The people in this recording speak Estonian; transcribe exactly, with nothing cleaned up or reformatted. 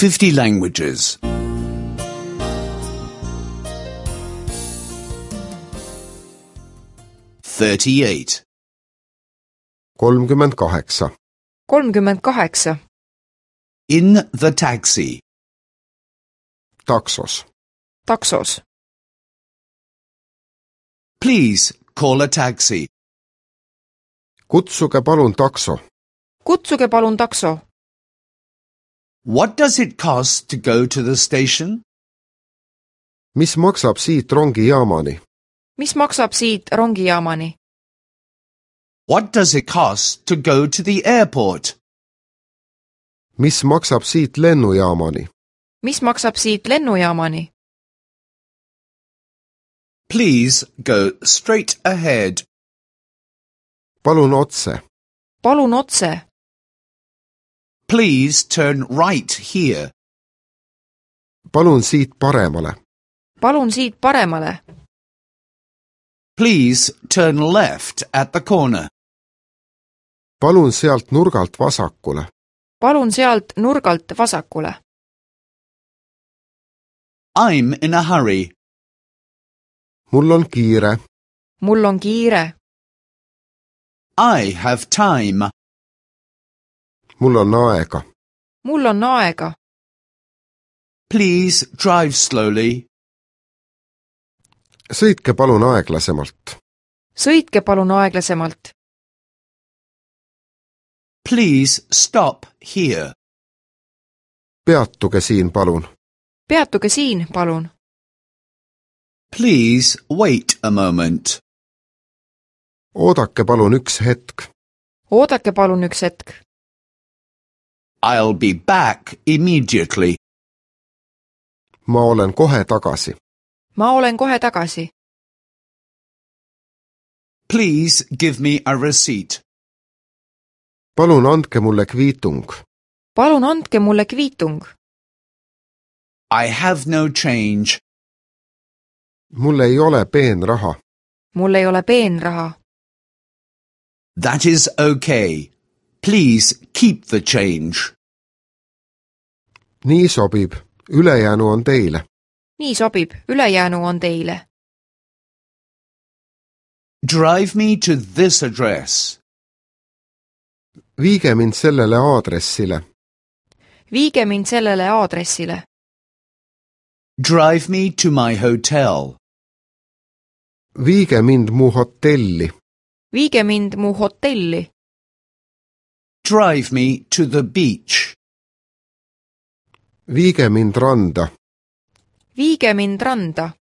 fifty languages. thirty-eight. kolmkümmend kaheksa. kolmkümmend kaheksa. In the taxi. Taksos. Taksos. Please call a taxi. Kutsuge palun takso. Kutsuge palun takso. What does it cost to go to the station? Mis maksab siit rongijaamani? Mis maksab siit rongijaamani? What does it cost to go to the airport? Mis maksab siit lennujaamani? Mis maksab siit lennujaamani? Please go straight ahead. Palun otse. Palun otse. Please turn right here. Palun siit paremale. Palun siit paremale. Please turn left at the corner. Palun sealt nurgalt vasakule. Palun sealt nurgalt vasakule. I'm in a hurry. Mul on kiire. Mul on kiire. I have time. Mul on aega. Mul on aega. Please drive slowly. Sõitke palun aeglasemalt. Sõitke palun aeglasemalt. Please stop here. Peatuge siin palun. Peatuge siin, palun. Please wait a moment. Oodake palun üks hetk. Oodake palun üks hetk. I'll be back immediately. Ma olen kohe tagasi. Ma olen kohe tagasi. Please give me a receipt. Palun andke mulle kviitung. Palun andke mulle kviitung. I have no change. Mul ei ole peenraha. Mul ei ole peenraha. That is okay. Please keep the change. Nii sobib. Ülejäänu on teile. Nii sobib. Ülejäänu on teile. Drive me to this address. Viige mind sellele aadressile. Viige mind sellele aadressile. Drive me to my hotel. Viige mind mu hotelli. Viige mind mu hotelli. Drive me to the beach. Viige mind randa. Viige mind randa.